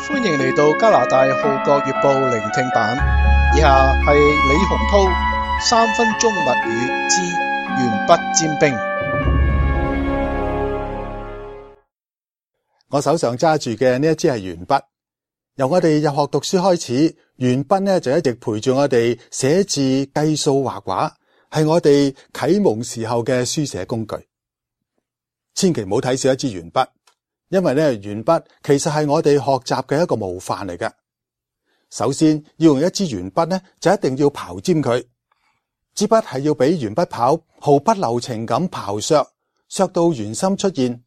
歡迎嚟到加拿大號角月報聆聽版，以下係李洪濤3分鐘密語之鉛筆尖兵。我手上揸住嘅呢一支係鉛筆，由我哋入學讀書開始，鉛筆呢就一直陪住我哋寫字、計數、畫畫，係我哋啟蒙時候嘅書寫工具。千祈唔好睇少一支鉛筆，因為呢鉛筆其實係我哋學習嘅一個模範嚟嘅。首先要用一支鉛筆呢，就一定要刨尖佢，支筆係要俾鉛筆刨毫不留情咁刨削到圓心出現。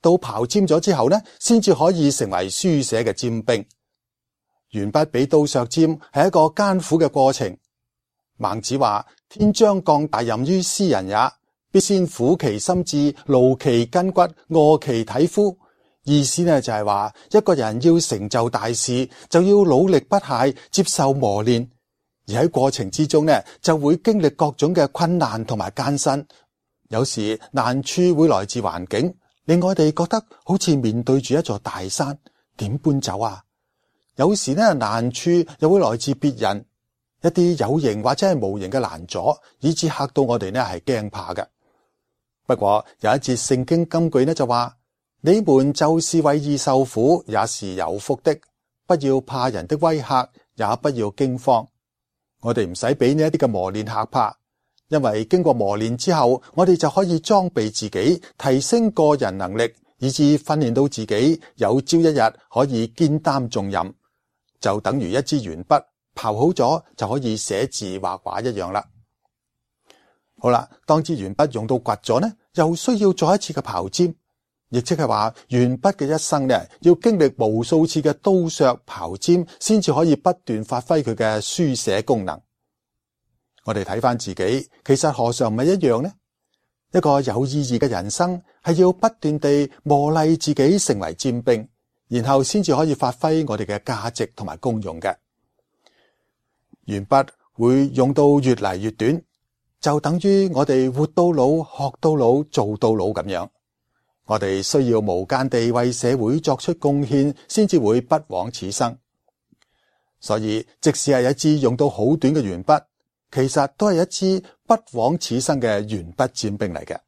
到刨尖咗之後呢，先至可以成為書寫嘅尖兵。鉛筆比刀削尖係一個艱苦嘅過程。孟子話：天將降大任於斯人也，必先苦其心志，勞其筋骨，餓其體膚。意思呢就係話，一個人要成就大事，就要努力不懈，接受磨練，而喺過程之中呢，就會經歷各種嘅困難同埋艱辛。有時難處會來自環境，令我哋覺得好似面對住一座大山，點搬走啊？有時呢，難處又會來自別人，一啲有形或者係無形嘅攔阻，以致嚇到我哋呢係驚怕嘅。不過有一節聖經金句呢就話：你們就是為義受苦，也是有福的。不要怕人的威嚇，也不要驚慌。我哋唔使俾呢一啲嘅磨練嚇怕。因為經過磨練之後，我哋就可以裝備自己，提升個人能力，以致訓練到自己有朝一日可以肩擔重任，就等於一支鉛筆刨好咗就可以寫字畫畫一樣啦。好啦，當支鉛筆用到掘咗呢，又需要再一次嘅刨尖，亦即係話鉛筆嘅一生呢，要經歷無數次嘅刀削刨尖，先至可以不斷發揮佢嘅書寫功能。我哋睇翻自己，其實何嘗唔係一樣呢？一個有意義嘅人生係要不斷地磨礪自己成為尖兵，然後先至可以發揮我哋嘅價值同埋功用嘅。鉛筆會用到越嚟越短，就等於我哋活到老、學到老、做到老咁樣。我哋需要無間地為社會作出貢獻，先至會不枉此生。所以，即使係一支用到好短嘅鉛筆，其實都係一支不枉此生嘅鉛筆尖兵嚟嘅。